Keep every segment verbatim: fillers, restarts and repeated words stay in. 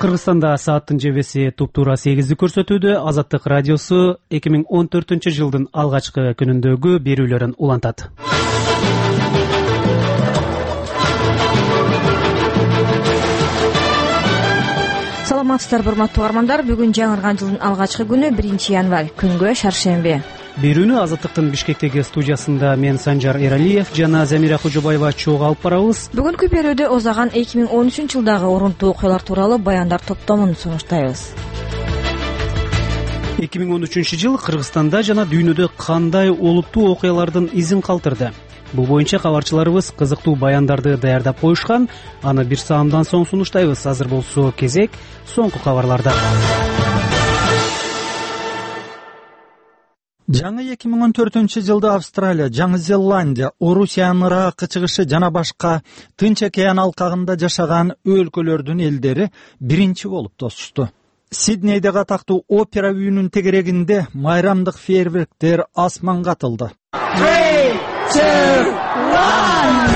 Кыргызстанда сааттын жебеси туптуура сегизди көрсөтүүдө. Азаттык радиосу эки миң он төртүнчү жылдын алгачкы күнүндөгү берүүлөрүн улантат. Саламатсыздарбы, урматтуу угармандар. Бүгүн жаңырган жылдын алгачкы күнү, биринчи январь, күнгө шаршемби. Берүүнү Азаттыктын Бишкектеги студиясында мен Санжар Эралиев жана Замира Кожобаева чогуу алып барабыз. Бүгүнкү берүүдө озаган эки миң он үчүнчү жылдагы орунтуу окуялар тууралуу баяндар топтомун сунуштайбыз. эки миң он үчүнчү жыл Кыргызстанда жана дүйнөдө кандай олуттуу окуялардын изин калтырды? Бул боюнча кабарчыларыбыз кызыктуу баяндарды даярдап коюшкан. Аны бир саамдан соң сунуштайбыз. Азыр болсо кезек соңку кабарларда. Жаңы эки миң он төртүнчү жылда Австралия, Жаңы Зеландия, Орусиянын Ыракка чыгышы жана башка Тынч океан алкагында жашаган өлкөлөрдүн элдери биринчи болуп тосушту. Сиднейдеги атактуу опера үйүнүн тегерегинде майрамдык фейерверктер асманга атылды. три, two, one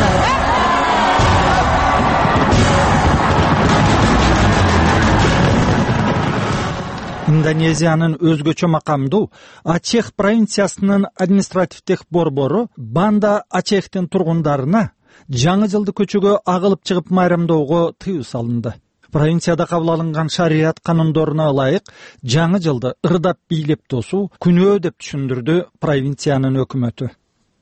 Индонезиянын өзгөчө макамдуу Ачех провинциясынын административдик борбору Банда Ачехтин тургундарына жаңы жылды көчөгө агылып чыгып майрамдоого тыюу салынды. Провинцияда кабыл алынган шарият канундоруна ылайык жаңы жылды ырдап бийлеп тосуу күнөө деп түшүндүрдү провинциянын өкмөтү.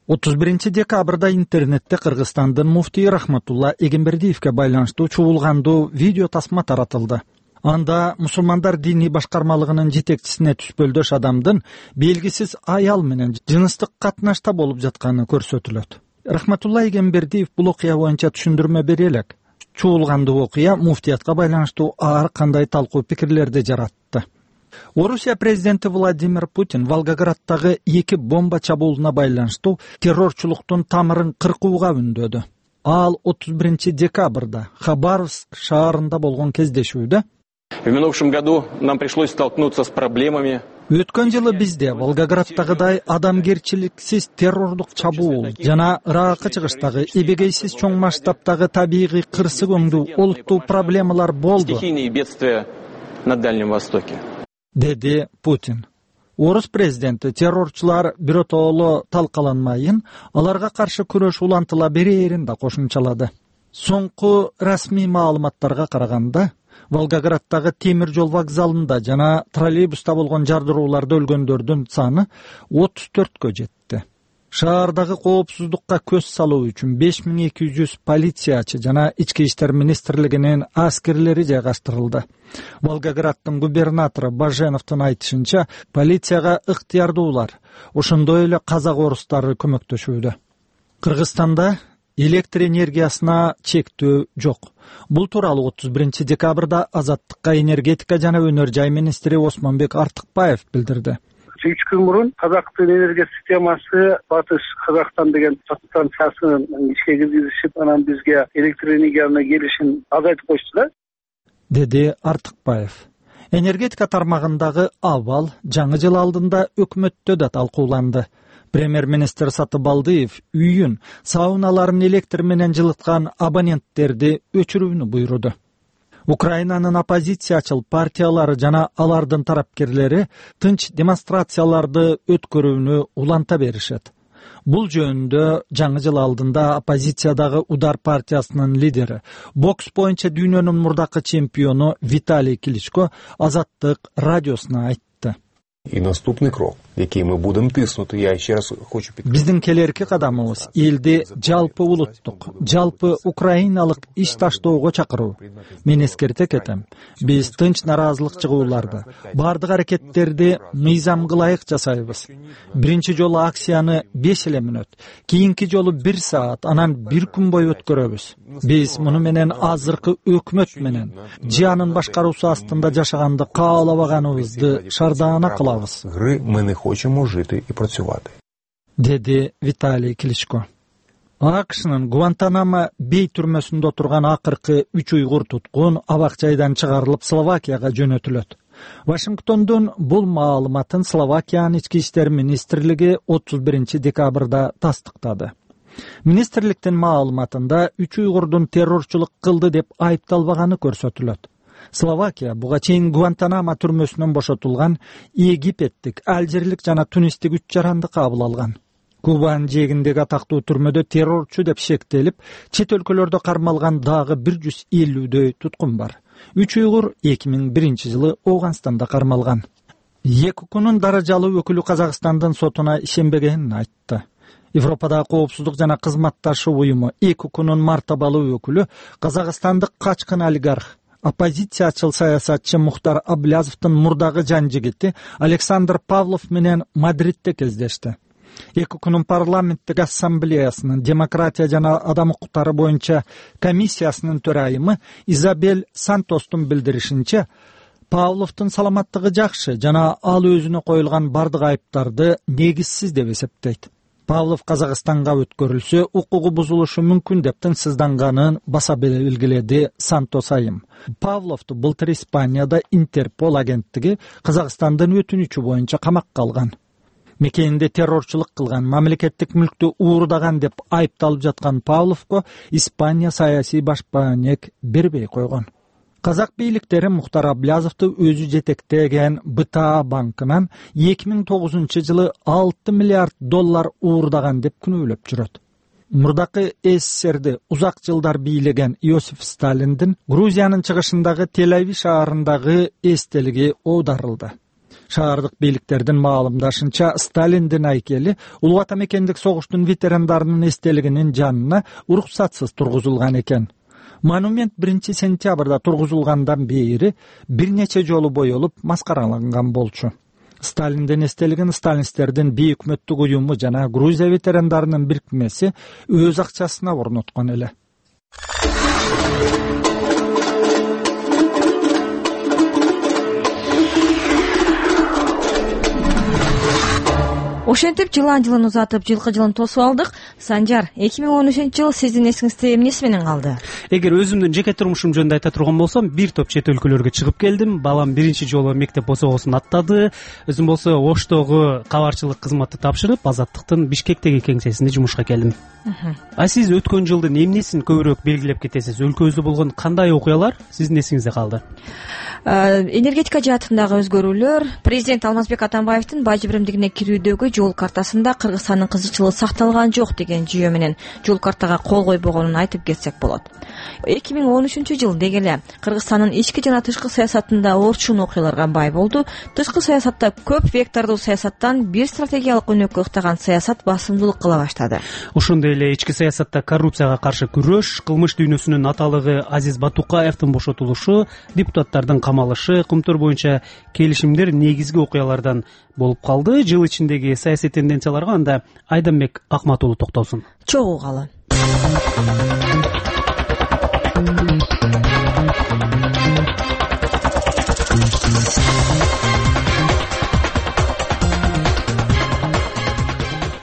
отуз биринчи декабрда интернетте Кыргызстандын муфтии Рахматулла Эгембердиевге байланыштуу чуулгандуу видео тасма таратылды. Анда мусулмандар диний башкармалыгынын жетекчисине түспөлдөш адамдын белгисиз аял менен жыныстык катнашта болуп жатканы көрсөтүлөт. Рахматулла Эгембердиев бул окуя боюнча түшүндүрмө бере элек. Чуулгандуу окуя муфтиятка байланыштуу ар кандай талкуу пикирлерди жаратты. Орусия президенти Владимир Путин Волгограддагы эки бомба чабуулуна байланыштуу террорчулуктун тамырын кыркууга үндөдү. Ал отуз биринчи декабрда Хабаровск шаарында болгон кездешүүдө В минувшем году нам пришлось столкнуться с проблемами. Өткөн жылы бизде Волгограддагыдай адамгерчиликсиз террордук чабуул жана Ыракка чыгыштагы эбегейсиз чоң масштабтагы табигый кырсык өңдүү олуттуу проблемалар болду. Стихийные бедствия на Дальнем Востоке. Деди Путин. Орус президенти террорчулар биротоло талкаланмайын, аларга каршы күрөш улантыла берерин да кошумчалады. Соңку расмий маалыматтарга караганда, Волгограддагы темир жол вокзалында жана троллейбуста болгон жардырууларда өлгөндөрдүн саны отуз төрткө жетти. Шаардагы коопсуздукка көз салуу үчүн беш миң эки жүз полициячы жана ички иштер министрлигинин аскерлери жайгаштырылды. Волгограддын губернатору Баженовдун айтышынча, полицияга ыктыярдуулар, ошондой эле казак орустары көмөктөшүүдө. Кыргызстанда электр энергиясына чектөө жок. Бул тууралуу отуз биринчи декабрда Азаттыкка энергетика жана өнөр жай министри Осмонбек Артыкбаев билдирди. үч күн мурун Казактын энергия системасы Батыш Казакстан деген станциясын ишке киргизишип, анан бизге электр энергияны келишин азайтып коюшту, деди Артыкбаев. Энергетика тармагындагы абал жаңы жыл алдында өкмөттө да талкууланды. Премьер-министр Сатыбалдыев үйүн, сауналарын электр менен жылыткан абоненттерди өчүрүүнү буйруду. Украинанын оппозициячыл партиялары жана алардын тарапкерлери тынч демонстрацияларды өткөрүүнү уланта беришет. Бул жөнүндө жаңы жыл алдында оппозициядагы Удар партиясынын лидери, бокс боюнча дүйнөнүн мурдакы чемпиону Виталий Кличко Азаттык радиосуна айтты. И наступный крок, який мы будем тиснути, я еще раз хочу підкреслити. Биздин келерки кадамыбыз элди жалпы улуттук, жалпы украиналык иш таштоого чакыруу. Мен эскерте кетем. Биз тынч наразылык чыгууларды, бардык аракеттерди мыйзамга ылайык жасайбыз. Биринчи жолу акцияны беш эле мүнөт, кийинки жолу бир саат, анан бир күн бою өткөрөбүз. Биз муну менен азыркы өкмөт менен жыянын башкаруусу астында жашаганды каалабаганыбызды шардаана кылабыз. Гри ми не хочемо жити і працювати. Деди Виталий Кличко. АКШнын Гуантанамо бей түрмөсүндө отурган акыркы үч уйгур туткун абак жайдан чыгарылып Словакияга жөнөтүлөт. Вашингтондун бул маалыматын Словакиянын ички иштер министрлиги отуз биринчи декабрда тастыктады. Министрликтин маалыматында үч уйгурдун террорчулук кылды деп айыпталбаганы көрсөтүлөт. Словакия буга чейин Гуантанамо түрмөсүнөн бошотулган египеттик, алжирлик жана тунистик үч жаранды кабыл алган. Кубанын жээгиндеги атактуу түрмөдө террорчу деп шектелип, чет өлкөлөрдө кармалган дагы бир жүз элүүдөй туткун бар. Үч уйгур эки миң биринчи жылы Ооганстанда кармалган. ЕКУКунун даражалуу өкүлү Казакстандын сотуна ишенбегенин айтты. Европадагы коопсуздук жана кызматташуу уюму ЕКУКунун мартабалуу өкүлү казакстандык качкын олигарх, оппозициячыл саясатчы Мухтар Аблязовдун мурдагы жан жигити Александр Павлов менен Мадридте кездешти. ЕКУКунун парламенттик ассамблеясынын демократия жана адам укуктары боюнча комиссиясынын төрайымы Изабель Сантостун билдиришинче, Павловдун саламаттыгы жакшы жана ал өзүнө коюлган бардык айыптарды негизсиз деп эсептейт. Павлов Казакстанга өткөрүлсө укугу бузулушу мүмкүн деп тынчсызданганын баса белгиледи Сантос айым. Павловду былтыр Испанияда Интерпол агенттиги Казакстандын өтүнүчү боюнча камакка алган. Мекенинде террорчулук кылган, мамлекеттик мүлктү уурдаган деп айыпталып жаткан Павловго Испания саясий башпаанек бербей койгон. Казак бийликтери Мухтар Аблязовду өзү жетектеген БТА банкынан эки миң тогузунчу жылы алты миллиард доллар уурдаган деп күнөөлөп жүрөт. Мурдакы СССРди узак жылдар бийлеген Иосиф Сталиндин Грузиянын чыгышындагы Тель-Авив шаарындагы эстелиги оодарылды. Шаардык бийликтердин маалымдашынча, Сталиндин айкели Улуу Ата мекендик согуштун ветерандарынын эстелигинин жанына уруксатсыз тургузулган экен. Монумент биринчи сентябрда тургузулгандан бери бир нече жолу боелуп маскараланган болчу. Сталиндин эстелигин сталинисттердин бейөкмөттүк уюму жана Грузия ветерандарынын бирикмеси өз акчасына орноткон эле. Ошентип жылан жылын узатып, жылкы жылын тосуп алдык. Санжар, эки миң он үчүнчү жыл сиздин эсиңизде эмнеси менен калды? Эгер өзүмдүн жеке турмушум жөнүндө айта турган болсом, бир топ чет өлкөлөргө чыгып келдим. Балам биринчи жолу мектеп босогосун аттады. Өзүм болсо Оштогу кабарчылык кызматты тапшырып, Азаттыктын Бишкектеги кеңсесинде жумушка келдим. А сиз өткөн жылдын эмнесин көбүрөөк белгилеп кетесиз? Өлкөбүздө болгон кандай окуялар сиздин эсиңизде калды? Энергетика жаатындагы өзгөрүүлөр, президент Алмазбек Атамбаевдин бажы биримдигине кирүүдөгү жол картасында Кыргызстандын кызыкчылыгы сакталган жок деген жүйө менен жол картага кол койбогонун айтып кетсек болот. эки миң он үчүнчү жыл деги эле Кыргызстандын ички жана тышкы саясатында орчун окуяларга бай болду. Тышкы саясатта көп вектордуу саясаттан бир стратегиялык өнөккө ыктаган саясат басымдуулук кыла баштады. Ошондой эле ички саясатта коррупцияга каршы күрөш, кылмыш дүйнөсүнүн аталыгы Азиз Батукаевдин бошотулушу, депутаттардын камалышы, кумтур боюнча келишимдер негизги окуялардан болуп калды. Жыл ичиндеги саясий тенденцияларга анда Айданбек Акматулу токтолсун. Чогуугалы.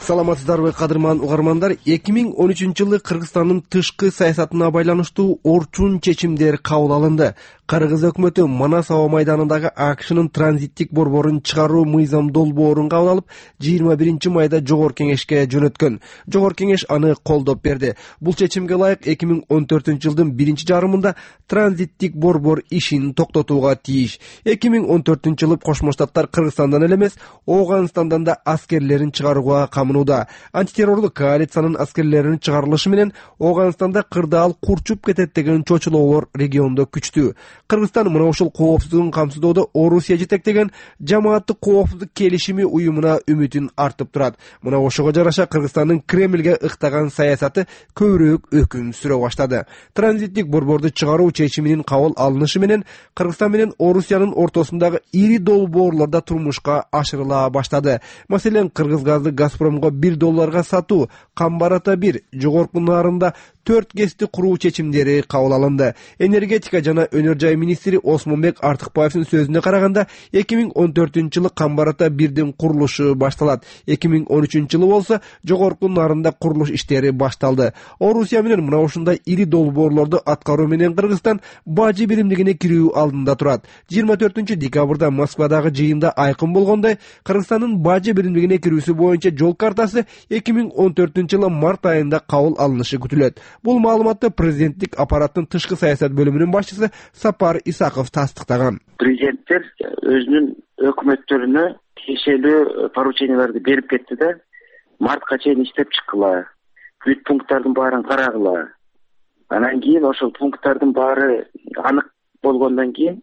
Саламатсыздарбы, кадырман угармандар. эки миң он үчүнчү жылы Кыргызстандын тышкы саясатына байланыштуу орчун чечимдер кабыл алынды. Кыргыз өкмөтү Манас аба майданындагы АКШнын транзиттик борборун чыгаруу мыйзам долбоорун кабыл алып, жыйырма биринчи майда Жогорку кеңешке жөнөткөн. Жогорку кеңеш аны колдоп берди. Бул чечимге ылайык эки миң он төртүнчү жылдын биринчи жарымында транзиттик борбор ишин токтотууга тийиш. эки миң он төртүнчү жылы Кошмо Штаттар Кыргызстандан эле эмес, Ооганстандан да аскерлерин чыгарууга камынууда. Антитеррорлук коалициянын аскерлеринин чыгарылышы менен Ооганстанда кырдаал курчуп кетет деген чочулоолор региондо күчтүү. Кыргызстан мына ушул коопсуздугун камсыздоодо Орусия жетектеген жамааттык коопсуздук келишими уюмуна үмүтүн артып турат. Мына ошого жараша Кыргызстандын Кремльге ыктаган саясаты көбүрөөк өкүм сүрө баштады. Транзиттик борборду чыгаруу чечиминин кабыл алынышы менен Кыргызстан менен Орусиянын ортосундагы ири долбоорлор да турмушка ашырыла баштады. Маселен, Кыргыз газды Газпромго бир долларга сатуу, Камбар-Ата бир, Жогорку Нарында төрт гэсти куруу чечимдери кабыл алынды. Энергетика жана өнөр жай министри Осмонбек Артыкбаевдин сөзүнө караганда, эки миң он төртүнчү жылы Камбар-Ата бирдин курулушу башталат. эки миң он үчүнчү жылы болсо Жогорку Нарында курулуш иштери башталды. Орусия менен мына ушундай ири долбоорлорду аткаруу менен Кыргызстан бажы биримдигине кирүү алдында турат. жыйырма төртүнчү декабрда Москвадагы жыйында айкын болгондой, Кыргызстандын бажы биримдигине кирүүсү боюнча жол картасы эки миң он төртүнчү жылы март айында кабыл алынышы күтүлөт. Бул маалыматты президенттик аппараттын тышкы саясат бөлүмүнүн башчысы Сапар Исаков тастыктаган. Президенттер өзүнүн өкмөттөрүнө тиешелүү порученияларды берип кетти да, мартка чейин иштеп чыккыла, бүт пункттардын баарын карагыла. Анан кийин ошол пункттардын баары анык болгондон кийин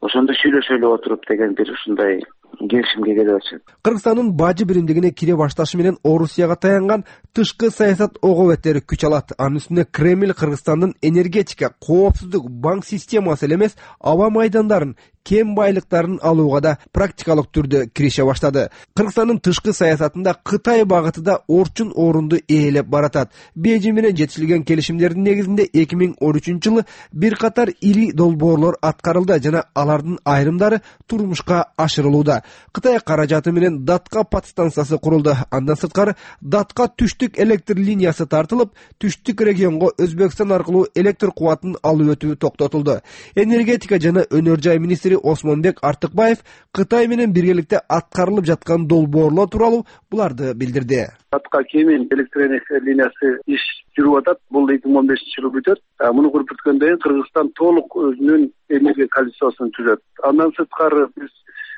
ошондо сүйлөшөлү отуруп деген бир ушундай келишимге келип атышат. Кыргызстандын бажы биримдигине кире башташы менен Орусияга таянган тышкы саясат ого беттери күч алат. Анын үстүнө Кремль Кыргызстандын энергетика, коопсуздук, банк системасы эле эмес, аба майдандарын, кен байлыктарын алууга да практикалык түрдө кирише баштады. Кыргызстандын тышкы саясатында Кытай багыты да орчун орунду ээлеп баратат. Бейжиң менен жетишилген келишимдердин негизинде эки миң он үчүнчү жылы бир катар ири долбоорлор аткарылды жана алардын айрымдары турмушка ашырылууда. Кытай каражаты менен Датка подстанциясы курулду. Андан сырткары Датка түштүк электр линиясы тартылып, түштүк регионго Өзбекстан аркылуу электр кубатын алып өтүү токтотулду. Энергетика жана өнөр жай министри Осмонбек Артыкбаев Кытай менен биргеликте аткарылып жаткан долбоорлор тууралуу буларды билдирди. Датка Кемин электр линиясы иш жүрүп атат. Бул эки миң он бешинчи жылы бүтөт. Муну куруп бүткөндөн кийин Кыргызстан толук өзүнүн энергия коалициясын түзөт. Андан сырткары биз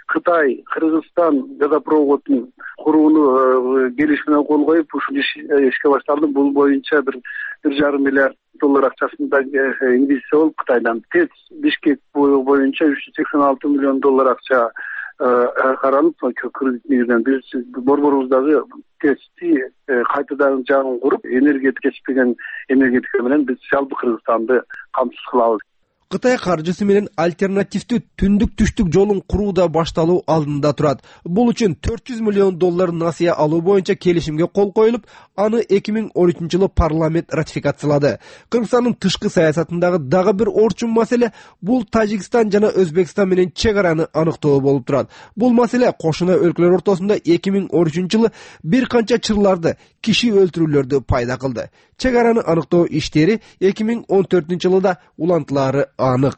Кытай, Кыргызстан газопроводун курууну келишимине кол коюп, ушул ишке башталды. Бул боюнча бир бир жарым миллиард доллар акчасында инвестиция болуп Кытайдан. ТЭЦ Бишкек боюнча үч жүз сексен алты миллион доллар акча каралып, кредит негизинен биз борборубуздагы ТЭЦти кайтадан жаңы куруп, энергетика кечпеген энергетика менен биз жалпы Кыргызстанды камсыз кылабыз. Кытай каржысы менен альтернативдүү түндүк түштүк жолун куруу да башталуу алдында турат. Бул үчүн төрт жүз миллион доллар насыя алуу боюнча келишимге кол коюлуп, аны эки миң он үчүнчү жылы парламент ратификациялады. Кыргызстандын тышкы саясатындагы дагы бир орчун маселе бул Тажикстан жана Өзбекстан менен чек араны аныктоо болуп турат. Бул маселе кошуна өлкөлөр ортосунда эки миң он үчүнчү жылы бир канча чырларды, киши өлтүрүүлөрдү пайда кылды. Чек араны аныктоо иштери эки миң он төртүнчү жылда улантылары анык.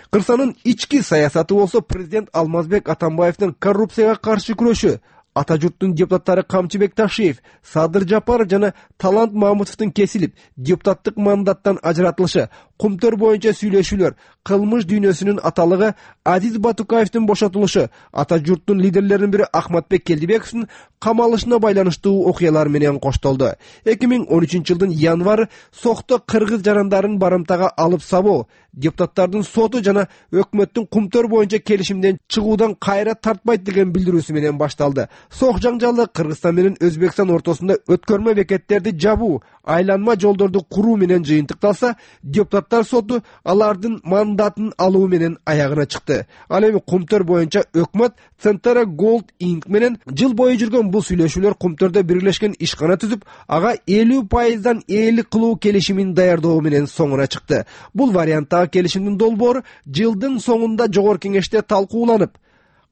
Кыргызстандын ички саясаты болсо президент Алмазбек Атамбаевдин коррупцияга каршы күрөшү, ата журттун депутаттары Камчыбек Ташиев, Садыр Жапаров жана Талант Мамутовдун кесилип, депутаттык мандаттан ажыратылышы, кумтөр боюнча сүйлөшүүлөр, кылмыш дүйнөсүнүн аталыгы Азиз Батукаевдин бошотулушу, ата журттун лидерлеринин бири Ахматбек Келдибековдун камалышына байланыштуу окуялар менен коштолду. эки миң он үчүнчү жылдын январы Сокто кыргыз жарандарын барымтага алып сабоо, депутаттардын соту жана өкмөттүн кумтөр боюнча келишимден чыгуудан кайра тартпайт деген билдирүүсү менен башталды. Сок жаңжалы Кыргызстан менен Өзбекстан ортосунда өткөрмө бекеттерди жабуу, айланма жолдорду куруу менен жыйынтыкталса, депутаттар соту алардын мандатын алуу менен аягына чыкты. Ал эми кумтөр боюнча өкмөт Центра Gold Inc менен жыл бою жүргөн бул сүйлөшүүлөр кумтөрдө бирлешкен ишкана түзүп, ага элүү пайыздан ээлик кылуу келишимин даярдоо менен соңуна чыкты. Бул варианттагы келишимдин долбоору жылдын соңунда жогорку кеңеште талкууланып,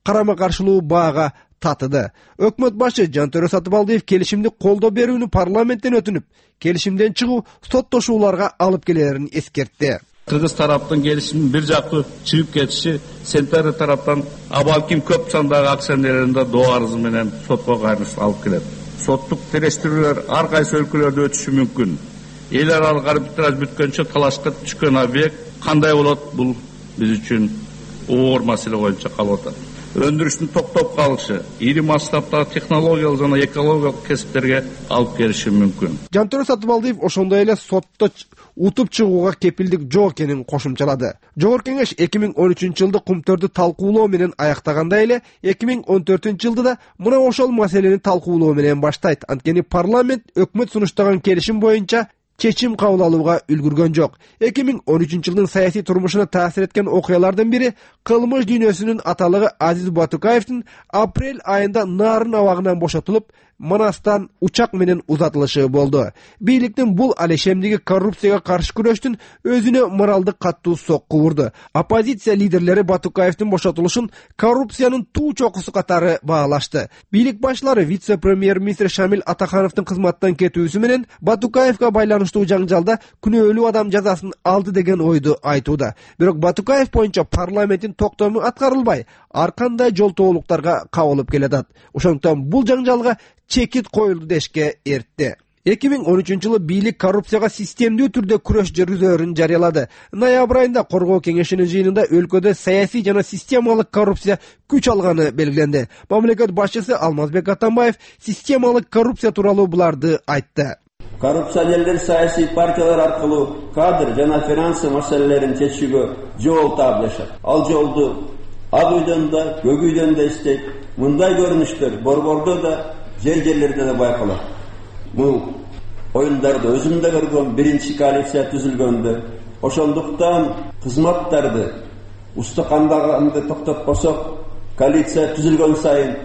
карама каршылуу баага татыды. Өкмөт башы Жантөрө Сатыбалдиев келишимди колдоо берүүнү парламенттен өтүнүп, келишимден чыгуу соттошууларга алып келерин эскертти. Кыргыз тараптын келишимин бир жактуу чыгып кетиши Сентер тараптан абалким көп сандагы акционерлеринде доо арызы менен сотко кайрылыш алып келет. Соттук териштирүүлөр ар кайсы өлкөлөрдө өтүшү мүмкүн. Эл аралык арбитраж бүткөнчө талашка түшкөн объект кандай болот, бул биз үчүн оор маселе боюнча калып атат. Өндүрүштүн токтоп калышы ири масштабтагы технологиялык жана экологиялык кесиптерге алып келиши мүмкүн. Жантөрө Сатыбалдиев ошондой эле сотто утуп чыгууга кепилдик жок экенин кошумчалады. Жогорку кеңеш эки миң он үчүнчү жылды кумтөрдү талкуулоо менен аяктагандай эле эки миң он төртүнчү жылды да мына ошол маселени талкуулоо менен баштайт. Анткени парламент өкмөт сунуштаган келишим боюнча чечим кабыл алууга үлгүргөн жок. эки миң он үчүнчү жылдын саясий турмушуна таасир эткен окуялардын бири кылмыш дүйнөсүнүн аталыгы Азиз Батукаевдин апрель айында Нарын абагынан бошотулуп, Манастан учак менен узатылышы болду. Бийликтин бул алешемдиги коррупцияга каршы күрөштүн өзүнө моралдык каттуу сокку урду. Оппозиция лидерлери Батукаевдин бошотулушун коррупциянын туу чокусу катары баалашты. Бийлик башчылары вице-премьер-министр Шамил Атахановдун кызматтан кетүүсү менен Батукаевга байланыштуу жаңжалда күнөөлүү адам жазасын алды деген ойду айтууда. Бирок Батукаев боюнча парламенттин токтому аткарылбай, ар кандай жолтоолуктарга кабылып келатат. Ошондуктан бул жаңжалга чекит коюлду дешке эртти. эки миң он үчүнчү жылы бийлик коррупцияга системдүү түрдө күрөш жүргүзөөрүн жарыялады. Ноябрь айында коргоо кеңешинин жыйынында өлкөдө саясий жана системалык коррупция күч алганы белгиленди. Мамлекет башчысы Алмазбек Атамбаев системалык коррупция тууралуу буларды айтты. Коррупционерлер саясий партиялар аркылуу кадр жана финансы маселелерин чечүүгө жол таап жашат. Ал жолду Ак үйдөн да, Көк үйдөн да иштейт. Мындай көрүнүштөр борбордо да, жер жерлерде да байкалат. Бул оюндарды өзүм да көргөм, биринчи коалиция түзүлгөндө. Ошондуктан кызматтарды устакандаганды токтотпосок, коалиция түзүлгөн сайын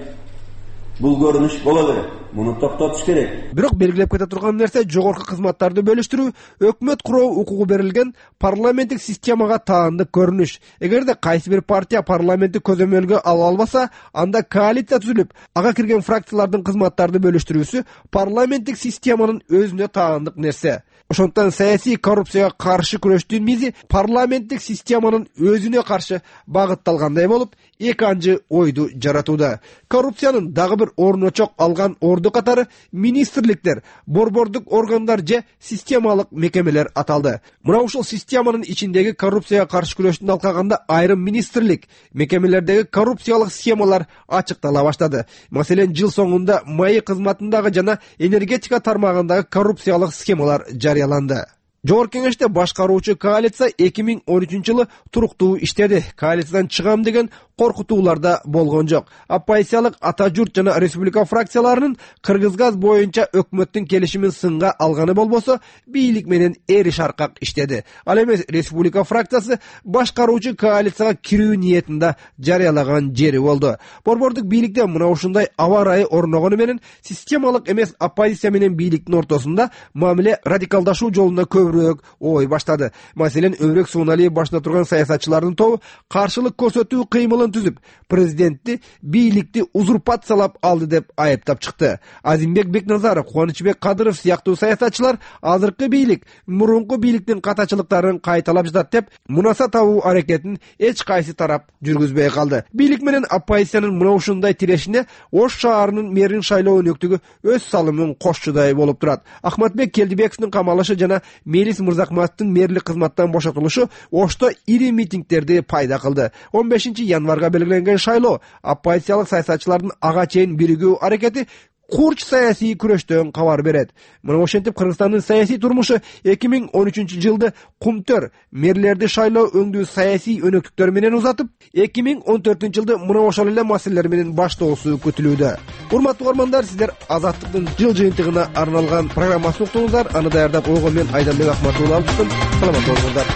бул көрүнүш боло берет. Муну токтотуш керек. Бирок белгилеп кете турган нерсе жогорку кызматтарды бөлүштүрүү өкмөт куруу укугу берилген парламенттик системага таандык көрүнүш. Эгерде кайсы бир партия парламентти көзөмөлгө ала албаса, анда коалиция түзүлүп, ага кирген фракциялардын кызматтарды бөлүштүрүүсү парламенттик системанын өзүнө таандык нерсе. Ошондуктан саясий коррупцияга каршы күрөштүн мизи парламенттик системанын өзүнө каршы багытталгандай болуп, эки анчы ойду жаратууда. Коррупциянын дагы бир орночок алган орду катары министрликтер, борбордук органдар же системалык мекемелер аталды. Мына ушул системанын ичиндеги коррупцияга каршы күрөштүн алкагында айрым министрлик, мекемелердеги коррупциялык схемалар ачыктала баштады. Маселен, жыл соңунда маи кызматындагы жана энергетика тармагындагы коррупциялык схемалар жарыяланды. Жогорку кеңеште башкаруучу коалиция эки миң он үчүнчү жылы туруктуу иштеди. Коалициядан чыгам деген коркутуулар да болгон жок. Оппозициялык Ата журт жана Республика фракцияларынын Кыргызгаз боюнча өкмөттүн келишимин сынга алганы болбосо, бийлик менен эри шаркак иштеди. Ал эмес Республика фракциясы башкаруучу коалицияга кирүү ниетин да жарыялаган жери болду. Борбордук бийликте мына ушундай аба ырайы орногону менен системалык эмес оппозиция менен бийликтин ортосунда мамиле радикалдашуу жолунда көбүрөөк ой баштады. Маселен, Өмүрөк Сууналиев башында турган саясатчылардын тобу каршылык көрсөтүү кыймылын түзүп, президентти, бийликти узурпациялап алды деп айыптап чыкты. Азимбек Бекназаров, Кубанычбек Кадыров сыяктуу саясатчылар азыркы бийлик мурунку бийликтин катачылыктарын кайталап жатат деп мунаса табуу аракетин эч кайсы тарап жүргүзбөй калды. Бийлик менен оппозициянын мына ушундай тирешине Ош шаарынын мэрин шайлоо өнөктүгү өз салымын кошчудай болуп турат. Ахматбек Келдибековдун камалышы жана Мелис Мырзакматовдун мэрлик кызматтан бошотулушу Ошто ири митингдерди пайда кылды. он бешинчи январга белгиленген шайлоо оппозициялык саясатчылардын ага чейин биригүү аракети курч саясий күрөштөн кабар берет. Мына ошентип Кыргызстандын саясий турмушу эки миң он үчүнчү жылды кумтөр мэрлерди шайлоо өңдүү саясий өнөктүктөр менен узатып, эки миң он төртүнчү жылды мына ошол эле маселелер менен баштоосу күтүлүүдө. Урматтуу угармандар, сиздер Азаттыктын жыл жыйынтыгына арналган программасын уктуңуздар. Аны даярдап койгон мен Айданбек Акматулла алыптым. Саламат болуңуздар.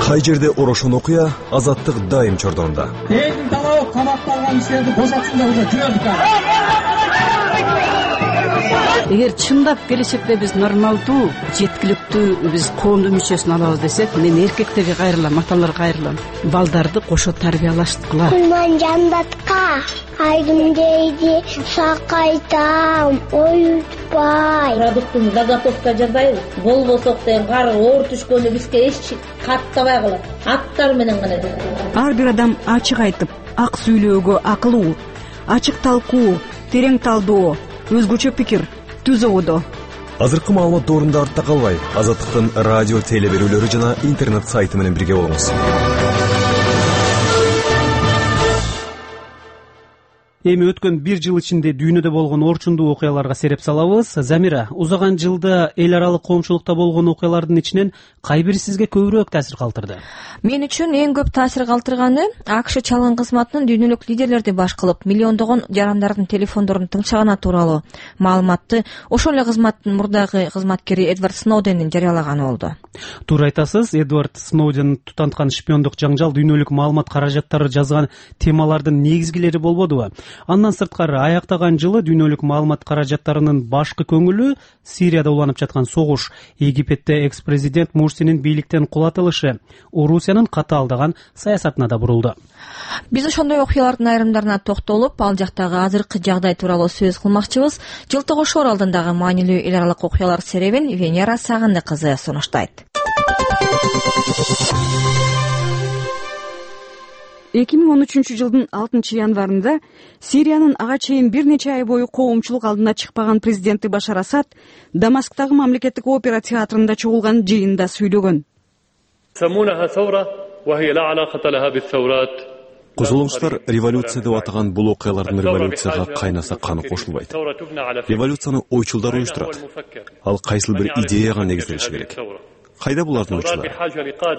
Кай жерде орошон окуя, Азаттык дайым чордонда. Элдин талабы камакталган кишилерди бошотсундар, уже жүрөдүк. Эгер чындап келечекте биз нормалдуу, жеткиликтүү биз коомдун мүчөсүн алабыз десек, мен эркектерге кайрылам, аталарга кайрылам. Балдарды кошо тарбиялашткыла. Мен жандатка айдым дейди, сакайтам, оютпай. Продуктун заготовка жасайбыз. Болбосок деген кар оор түшкөндө бизге эч каттабай калат. Аттар менен гана. Ар бир адам ачык айтып, ак сүйлөөгө акылуу, ачык талкуу, терең талдоо, өзгөчө пикир түзүүдө. Азыркы маалымат доорунда артта калбай, Азаттыктын радио теле берүүлөрү жана интернет сайты менен бирге болуңуз. Эми өткөн бир жыл ичинде дүйнөдө болгон орчундуу окуяларга сереп салабыз. Замира, узаган жылда эл аралык коомчулукта болгон окуялардын ичинен кай бири сизге көбүрөөк таасир калтырды? Мен үчүн эң көп таасир калтырганы АКШ чалгын кызматынын дүйнөлүк лидерлерди баш кылып, миллиондогон жарандардын телефондорун тыңчаганы тууралуу маалыматты ошол эле кызматтын мурдагы кызматкери Эдвард Сноуден жарыялаганы болду. Туура айтасыз, Эдвард Сноуден тутанткан шпиондук жаңжал дүйнөлүк маалымат каражаттары жазган темалардын негизгилери болбодубу? Андан сырткары аяктаган жылы дүйнөлүк маалымат каражаттарынын башкы көңүлү Сирияда уланып жаткан согуш, Египетте экс-президент Мурсинин бийликтен кулатылышы, Орусиянын катаалдаган саясатына да бурулду. Биз ошондой окуялардын айрымдарына токтолуп, ал жактагы азыркы жагдай тууралуу сөз кылмакчыбыз. Жылтыгошор алдындагы маанилүү эл аралык окуялар серебин Венера Сагынды кызы сунуштайт. эки миң он үчүнчү жылдын алтынчы январында Сириянын ага чейин бир нече ай бою коомчулук алдына чыкпаган президенти Башар Асад Дамасктагы мамлекеттик опера театрында чогулган жыйында сүйлөгөн. Козголоңчулар революция деп атаган бул окуялардын революцияга кайнаса каны кошулбайт. Революцияны ойчулдар уюштурат. Ал кайсыл бир идеяга негизделиши керек. Кайда булардын ойчулары?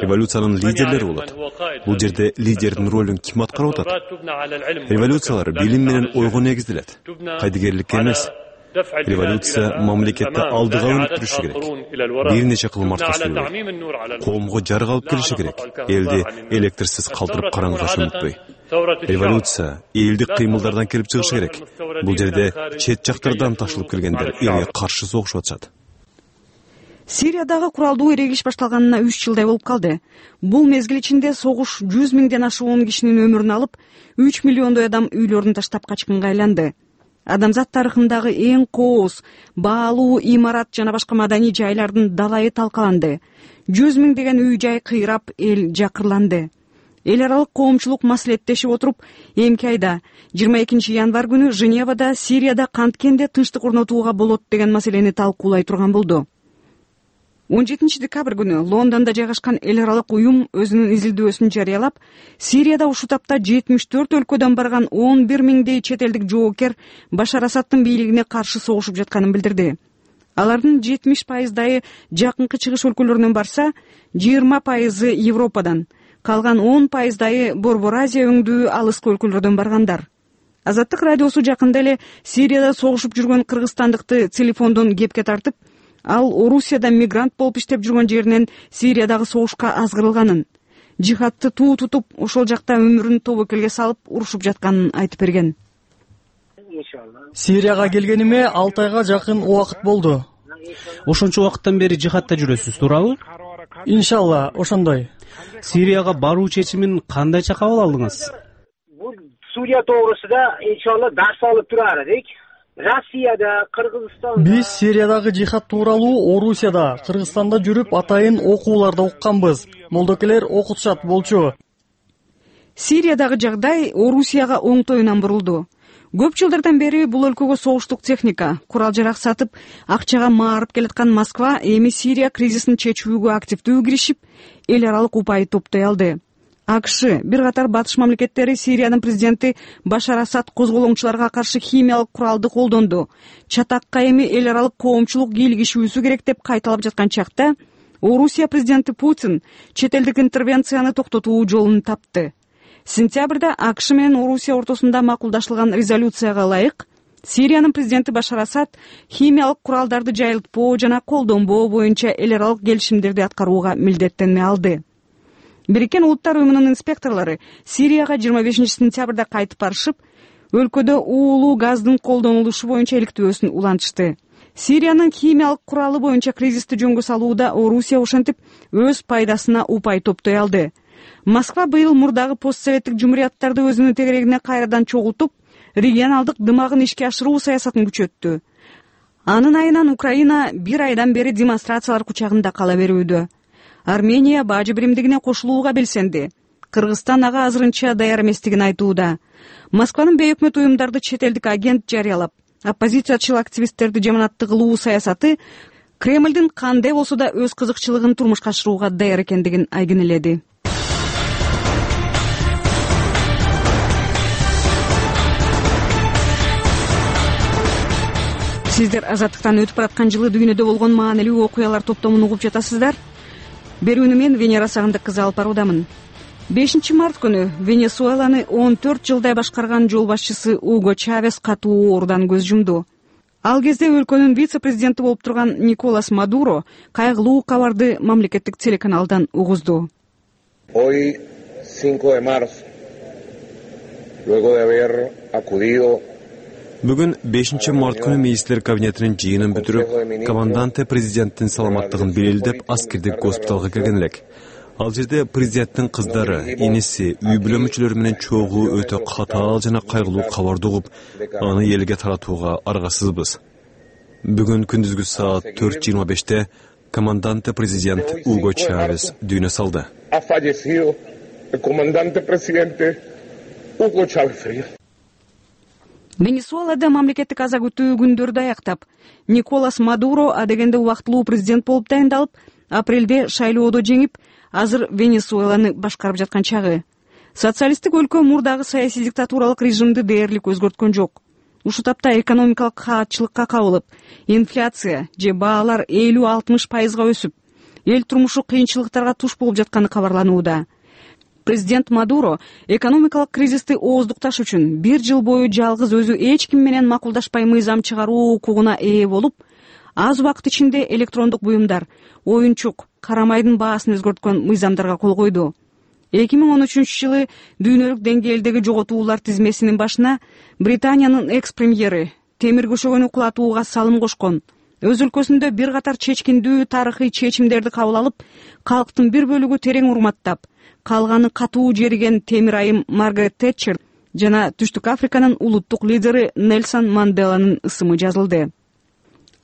Революциянын лидерлери болот. Бул жерде лидердин ролун ким аткарып атат? Революциялар билим менен ойго негизделет. Кайдыгерликке эмес. Революция мамлекетти алдыга өнүктүрүшү керек. Бир нече кылмартка сүйлөбөй. Коомго жарык алып келиши керек. Элди электрсиз калтырып караңгылаш унутпой. Революция элдик кыймылдардан келип чыгышы керек. Бул жерде чет жактардан ташылып келгендер элге каршы согушуп атышат. Сириядагы куралдуу эрегиш башталганына үч жылдай болуп калды. Бул мезгил ичинде согуш жүз миңден ашуун кишинин өмүрүн алып, үч миллиондой адам үйлөрүн таштап качкынга айланды. Адамзат тарыхындагы эң кооз, баалуу имарат жана башка маданий жайлардын далайы талкаланды. жүз миңдеген үй жай кыйрап, эл жакырланды. Эл аралык коомчулук маслихаттешип отуруп, эмки айда жыйырма экинчи январ күнү Женевада Сирияда канткенде тынчтык орнотууга болот деген маселени талкуулай турган болду. он жетинчи декабрь күнү Лондондо жайгашкан эл аралык уюм өзүнүн изилдөөсүн жарыялап, Сирияда ушул тапта жетимиш төрт өлкөдөн барган он бир миңдей чет элдик жоокер Башар Асадтын бийлигине каршы согушуп жатканын билдирди. Алардын жетимиш пайыздайы жакынкы чыгыш өлкөлөрүнөн барса, жыйырма пайызы Европадан, калган он пайыздайы Борбор Азия өңдүү алыскы өлкөлөрдөн баргандар. Азаттык радиосу жакында эле Сирияда согушуп жүргөн кыргызстандыкты телефондон кепке тартып, ал Орусияда мигрант болуп иштеп жүргөн жеринен Сириядагы согушка азгырылганын, жихадты туу тутуп, ошол жакта өмүрүн тобокелге салып урушуп жатканын айтып берген. Сирияга келгениме алты айга жакын убакыт болду. Ошончо убакыттан бери жихадта жүрөсүз, туурабы? Иншалла, ошондой. Сирияга баруу чечимин кандайча кабыл алдыңыз? Бул Сурия тоогрусунда иншалла дарс алып турар элек. Россияда, Кыргызстанда. Биз Сириядагы жихад тууралуу Орусияда, Кыргызстанда жүрүп атайын окууларда укканбыз. Молдокелер окутушат болчу. Сириядагы жагдай Орусияга оңтоюнан бурулду. Көп жылдардан бери бул өлкөгө согуштук техника, курал-жарак сатып, акчага маарып келаткан Москва эми Сирия кризисин чечүүгө активдүү киришип, эл аралык упай топтой алды. АКШ, бир катар батыш мамлекеттери Сириянын президенти Башар Асад козголоңчуларга каршы химиялык куралды колдонду. Чатакка эми эл аралык коомчулук кийлигишүүсү керек деп кайталап жаткан чакта, Орусия президенти Путин чет элдик интервенцияны токтотуу жолун тапты. Сентябрда АКШ менен Орусия ортосунда макулдашылган резолюцияга ылайык, Сириянын президенти Башар Асад химиялык куралдарды жайылтпоо жана колдонбоо боюнча эл аралык келишимдерди аткарууга милдеттене алды. Бириккен Улуттар уюмунун инспекторлору Сирияга жыйырма бешинчи сентябрда кайтып барышып, өлкөдө уулуу газдын колдонулушу боюнча иликтөөсүн улантышты. Сириянын химиялык куралы боюнча кризисти жөнгө салууда Орусия ошентип өз пайдасына упай топтой алды. Москва быйыл мурдагы постсоветтик жумурияттарды өзүнүн тегерегине кайрадан чогултуп, регионалдык дымагын ишке ашыруу саясатын күчөттү. Анын айынан Украина бир айдан бери демонстрациялар кучагында кала берүүдө. Армения бажы биримдигине кошулууга белсенди. Кыргызстан ага азырынча даяр эместигин айтууда. Москванын бейөкмөт уюмдарды чет элдик агент жарыялап, оппозициячыл активисттерди жаманатты кылуу саясаты Кремлдин кандай болсо да өз кызыкчылыгын турмушка ашырууга даяр экендигин айгинеледи. Сиздер Азаттыктан өтүп бараткан жылы дүйнөдө болгон маанилүү окуялар топтомун угуп жатасыздар. Берүүнү мен Венера Сагындык кызы алып баруудамын. бешинчи март күнү Венесуэланы он төрт жылдай башкарган жол башчысы Уго Чавес катуу оорудан көз жумду. Ал кезде өлкөнүн вице-президенти болуп турган Николас Мадуро кайгылуу кабарды мамлекеттик телеканалдан угузду. Hoy, cinco de marzo, luego de haber acudido Бүгүн бешинчи март күнү министрлер кабинетинин жыйынын бүтүрүп, команданте президенттин саламаттыгын белгилеп, аскердик госпиталга келген элек. Ал жерде президенттин кыздары, иниси, үй бүлө мүчөлөрү менен чогуу өтө катаал жана кайгылуу кабарды угуп, аны элге таратууга аргасызбыз. Бүгүн күндүзгү саат төрт жыйырма беште команданте президент Уго Чавес дүйнө салды. Ha fallecido el comandante presidente Hugo Chávez Frías. Венесуэлада мамлекеттик аза күтүү күндөрдү аяктап, Николас Мадуро адегенде убактылуу президент болуп дайындалып, апрелде шайлоодо жеңип, азыр Венесуэланы башкарып жаткан чагы. Социалисттик өлкө мурдагы саясий диктатуралык режимди дээрлик өзгөрткөн жок. Ушул тапта экономикалык каатчылыкка кабылып, инфляция же баалар элүү алтымыш пайызга өсүп, эл турмушу кыйынчылыктарга туш болуп жатканы кабарланууда. Президент Мадуро экономикалык кризисти ооздукташ үчүн бир жыл бою жалгыз өзү эч ким менен макулдашпай мыйзам чыгаруу укугуна ээ болуп, аз убакыт ичинде электрондук буюмдар, оюнчук, кара майдын баасын өзгөрткөн мыйзамдарга кол койду. эки миң он үчүнчү жылы дүйнөлүк деңгээлдеги жоготуулар тизмесинин башына Британиянын экс-премьери темир көшөгөнү кулатууга салым кошкон. Өз өлкөсүндө бир катар чечкиндүү тарыхый чечимдерди кабыл алып, калктын бир бөлүгү терең урматтап, калганы катуу жериген темир айым Маргарет Тэтчер жана Түштүк Африканын улуттук лидери Нельсон Манделанын ысымы жазылды.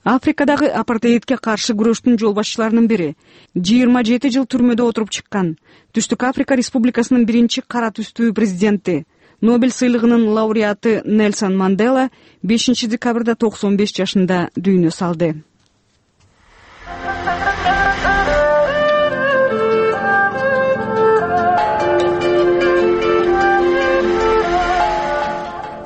Африкадагы апартеидке каршы күрөштүн жол башчыларынын бири жыйырма жети жыл түрмөдө отуруп чыккан Түштүк Африка Республикасынын биринчи кара түстүү президенти, Нобель сыйлыгынын лауреаты Нельсон Мандела бешинчи декабрда токсон беш жашында дүйнө салды.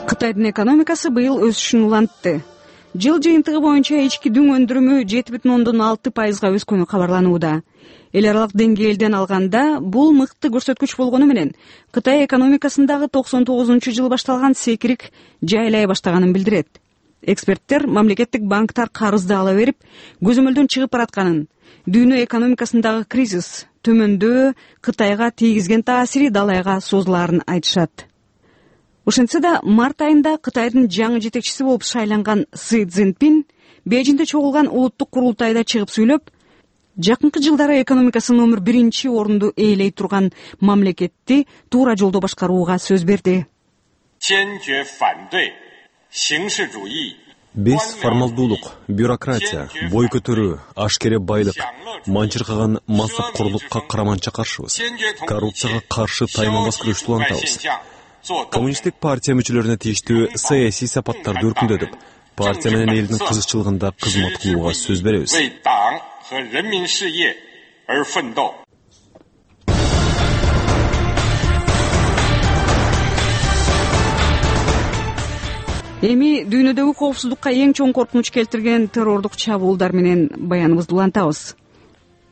Кытайдын экономикасы быйыл өсүшүн улантты. Жыл жыйынтыгы боюнча ички дүң өндүрүмү жети бүтүн ондон алты пайызга өскөнү кабарланууда. Эл аралык деңгээлден алганда бул мыкты көрсөткүч болгону менен Кытай экономикасындагы токсон тогузунчу жылы башталган секирик жайлай баштаганын билдирет. Эксперттер мамлекеттик банктар карызды ала берип, көзөмөлдөн чыгып баратканын, дүйнө экономикасындагы кризис төмөндөө Кытайга тийгизген таасири далайга созулаарын айтышат. Ошентсе да март айында Кытайдын жаңы жетекчиси болуп шайланган Си Цзиньпин Бейжиңде чогулган улуттук курултайда чыгып сүйлөп, жакынкы жылдары экономикасы номер биринчи орунду ээлей турган мамлекетти туура жолдо башкарууга сөз берди. Биз формалдуулук, бюрократия, бой көтөрүү, ашкере байлык, манчыркаган мансапкорлукка караманча каршыбыз. Коррупцияга каршы тайманбас күрөштү улантабыз. Коммунисттик партия мүчөлөрүнө тийиштүү саясий сапаттарды өркүндөтүп, партия менен элдин кызыкчылыгында кызмат кылууга сөз беребиз. Эми дүйнөдөгү коопсуздукка эң чоң коркунуч келтирген террордук чабуулдар менен баяныбызды улантабыз.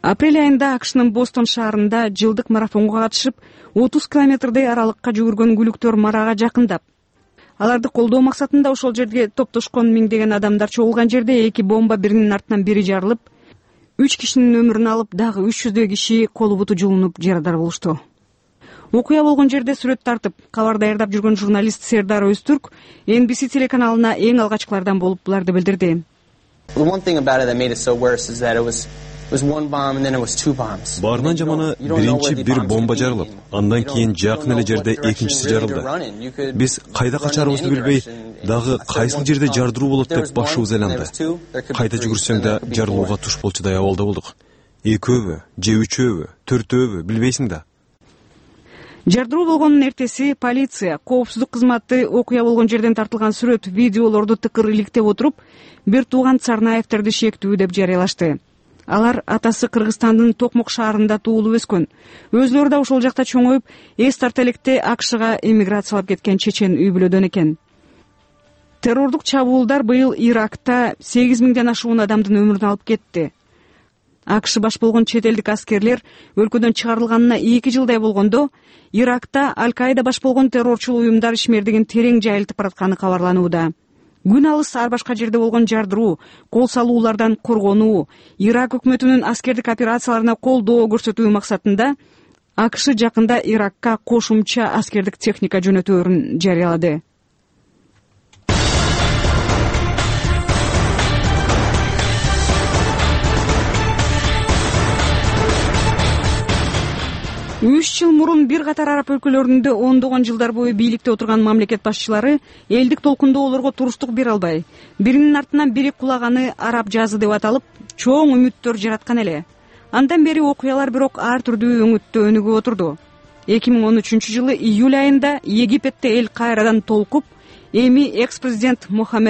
Апрель айында АКШнын Бостон шаарында жылдык марафонго катышып, отуз километрдей аралыкка жүгүргөн күлүктөр марага жакындап, аларды колдоо максатында ошол жерге топтошкон миңдеген адамдар чогулган жерде эки бомба биринин артынан бири жарылып, үч кишинин өмүрүн алып, дагы үч жүздөй киши колу буту жулунуп жарадар болушту. Окуя болгон жерде сүрөт тартып, кабар даярдап жүргөн журналист Сердар Өзтүрк Эн Би Си телеканалына эң алгачкылардан болуп буларды билдирди. Баарынан жаманы биринчи бир бомба жарылып, андан кийин жакын эле жерде экинчиси жарылды. Биз кайда качарыбызды билбей, дагы кайсыл жерде жардыруу болот деп башыбыз айланды. Кайда жүгүрсөң да жарылууга туш болчудай абалда болдук. Экөөбү, же үчөөбү, төртөөбү билбейсиң да. Жардыруу болгонун эртеси полиция, коопсуздук кызматы окуя болгон жерден тартылган сүрөт, видеолорду тыкыр иликтеп отуруп, бир тууган Царнаевтерди шектүү деп жарыялашты. Алар атасы Кыргызстандын Токмок шаарында туулуп өскөн. Өзүлөрү да ошол жакта чоңоюп, эс тарта электе АКШга эмиграциялап кеткен чечен үй бүлөдөн экен. Террордук чабуулдар быйыл Иракта сегиз миңден ашуун адамдын өмүрүн алып кетти. АКШ баш болгон чет элдик аскерлер өлкөдөн чыгарылганына эки жылдай болгондо, Иракта Аль-Каида баш болгон террорчул уюмдар ишмердигин терең жайылтып баратканы кабарланууда. Күн алыс ар башка жерде болгон жардыруу, кол салуулардан коргонуу, Ирак өкмөтүнүн аскердик операцияларына колдоо көрсөтүү максатында АКШ жакында Иракка кошумча аскердик техника жөнөтөөрүн жарыялады. үч жыл мурун бир катар араб өлкөлөрүндө ондогон жылдар бою бийликте отурган мамлекет башчылары элдик толкундоолорго туруштук бере албай, биринин артынан бири кулаганы араб жазы деп аталып, чоң үмүттөр жараткан эле. Андан бери окуялар бирок ар түрдүү өңүттө өнүгүп отурду. эки миң он үчүнчү жылы июль айында Египетте эл кайрадан толкуп, эми экс президент Мухаммед